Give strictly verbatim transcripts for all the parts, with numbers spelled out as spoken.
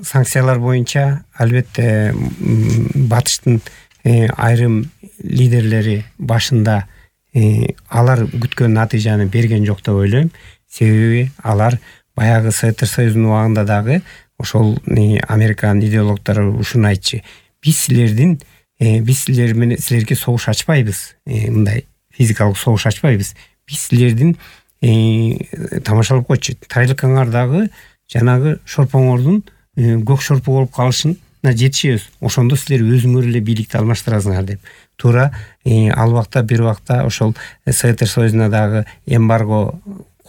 санкциялар боюнча албетте батыштын айрым лидерлери башында алар күткөн натыйжаны берген жок деп ойлойм. Себеби алар баягы Советтер Союзунун убагында дагы ошол Американын идеологдору ушуну айтчу. Биз силердин биз силер менен силерге согуш ачпайбыз. Мындай физикалык согуш ачпайбыз. Биз силердин тамашалап койчу. Тайлык аңардагы жанагы шорпоңордун көк шорпу болуп калышына жетишебиз. Ошондо силер өзүңөр эле бийликти алмаштырасыңар деп. Туура ал убакта бир убакта ошол Советтер Союзуна дагы эмбарго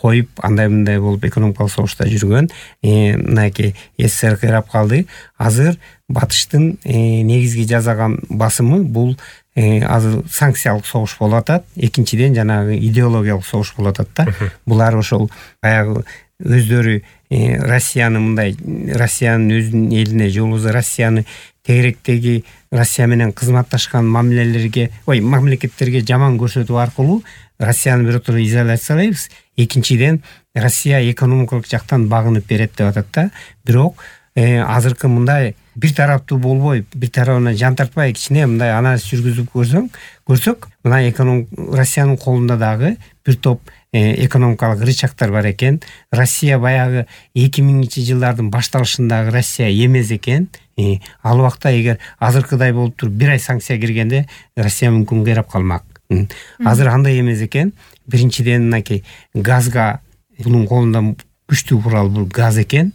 коюп, андай мындай болуп экономикалык согушта жүргөн мынакей СССР кыйрап калды. Азыр батыштын негизги жасаган басымы бул азыр санкциялык согуш болуп атат. Экинчиден жанагы идеологиялык согуш болуп атат да. Булар ошол баягы өздөрү Россияны мындай Россиянын өзүнүн элине же болбосо Россияны тегеректеги Россия менен кызматташкан мамилелерге, ой, мамлекеттерге жаман көрсөтүү аркылуу Россияны биротоло изоляциялайбыз. Экинчиден Россия экономикалык жактан багынып берет деп атат да. Бирок азыркы мындай бир тараптуу болбой, бир тарабына жан тартпай кичине мындай анализ жүргүзүп көрсөң, көрсөк, мына эконом Россиянын колунда дагы бир топ экономикалык рычагдар бар экен. Россия баягы эки миңинчи жылдардын башталышындагы Россия эмес экен. Ал убакта эгер азыркыдай болуп туруп бир ай санкция киргенде Россия мүмкүн кыйрап калмак. Азыр андай эмес экен. Биринчиден мынакей газга бунун колунда күчтүү курал бул газ экен.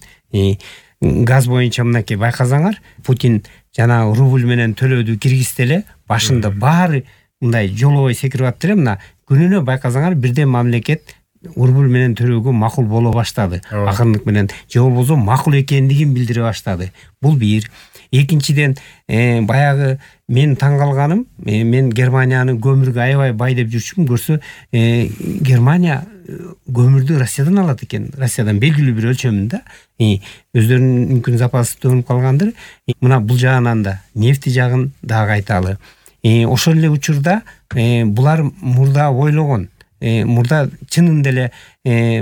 Газ боюнча мынакей байкасаңар, Путин жана рубль менен төлөөдү киргизди эле, башында баары мындай жолобой секирип аттыр эле. Мына күнүнө байкасаңар бирден мамлекет рубль менен төлөөгө макул боло баштады. Акырындык менен же болбосо макул экендигин билдире баштады. Бул бир. Экинчиден баягы мен таң калганым, мен Германияны көмүргө аябай бай деп жүрчүмүн. Көрсө Германия көмүрдү Россиядан алат экен. Россиядан белгилүү бир өлчөмүндө. Өздөрүнүн мүмкүн запасы төгүнүп калгандыр. Мына бул жагынан да нефти жагын дагы айталы. Ошол эле учурда булар мурда ойлогон, мурда чынында эле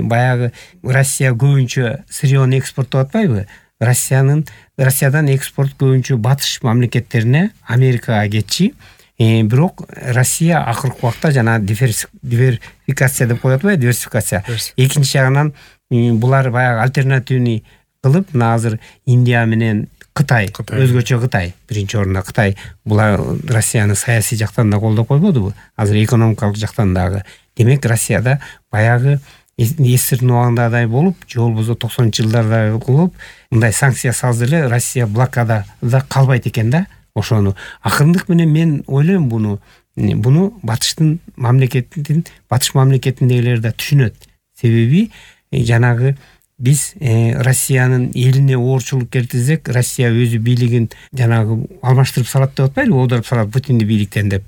баягы Россия көбүнчө сырьёну экспорттоп атпайбы? Россиянын Россиядан экспорт көбүнчө батыш мамлекеттерине, Америкага кетчи. Бирок Россия акыркы убакта жана диверсификация деп коет атпайбы, диверсификация. Экинчи жагынан булар баягы альтернативный кылып, мына азыр Индия менен Кытай, өзгөчө Кытай, биринчи орунда Кытай. Булар Россияны саясий жактан да колдоп койбодубу? Азыр экономикалык жактан дагы. Демек Россияда баягы эсирдин убагындай болуп, же болбосо токсонунчу жылдарда кылып, мындай санкция салды эле, Россия блокада да калбайт экен да. Ошону акырындык менен мен ойлойм буну, буну батыштын мамлекетинин, батыш мамлекетиндегилер да түшүнөт. Себеби жанагы биз Россиянын элине оорчулук келтирсек, Россия өзү бийлигин жанагы алмаштырып салат деп атпайлы, оодарып салат Путинди бийликтен деп.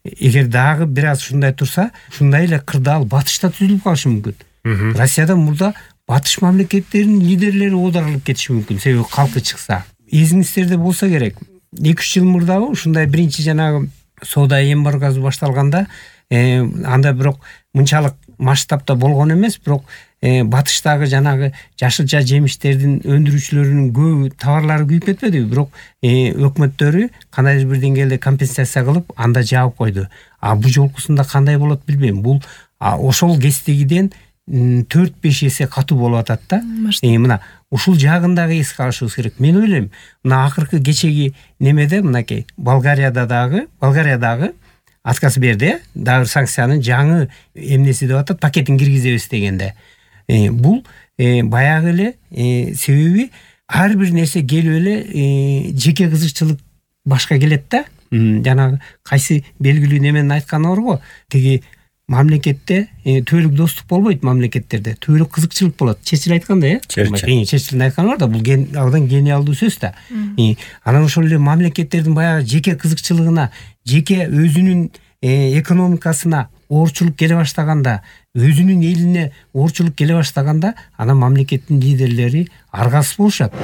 Эгер дагы бир аз ушундай турса, ушундай эле кырдаал батышта түзүлүп калышы мүмкүн. Россияда мурда батыш мамлекеттеринин лидерлери оодарылып кетиши мүмкүн, себеби калкы чыкса. Эсиңиздерде болсо керек, эки үч жыл мурдабы ушундай биринчи жанагы соода эмбаргосу башталганда, анда бирок мынчалык масштабта болгон эмес, бирок батыштагы жанагы жашылча жемиштердин өндүрүүчүлөрүнүн көбү товарлары күйүп кетпедиби, бирок өкмөттөрү кандайдыр бир деңгээлде компенсация кылып анда жаап койду. А бул жолкусунда кандай болот билбейм. Бул ошол кездегиден төрт беш эсе катуу болуп атат да. Мына ушул жагын дагы эске алышыбыз керек. Мен ойлойм, мына акыркы кечеги немеде мынакей Болгарияда дагы, Болгариядагы отказ берди, дагы санкциянын жаңы эмнеси деп атат, пакетин киргизебиз дегенде. Бул баягы эле себеби ар бир нерсе келип эле жеке кызыкчылык башка келет да. Жанагы кайсы белгилүү немен айтканы бар го, тиги мамлекетте түбөлүк достук болбойт, мамлекеттерде түбөлүк кызыкчылык болот. Чечил айткандай, э? Чечилдин айтканы бар да, бул абдан гениалдуу сөз да. Анан ошол эле мамлекеттердин баягы жеке кызыкчылыгына, жеке өзүнүн экономикасына оорчулук келе баштаганда, өзүнүн элине оорчулук келе баштаганда, анан мамлекеттин лидерлери аргасыз болушат.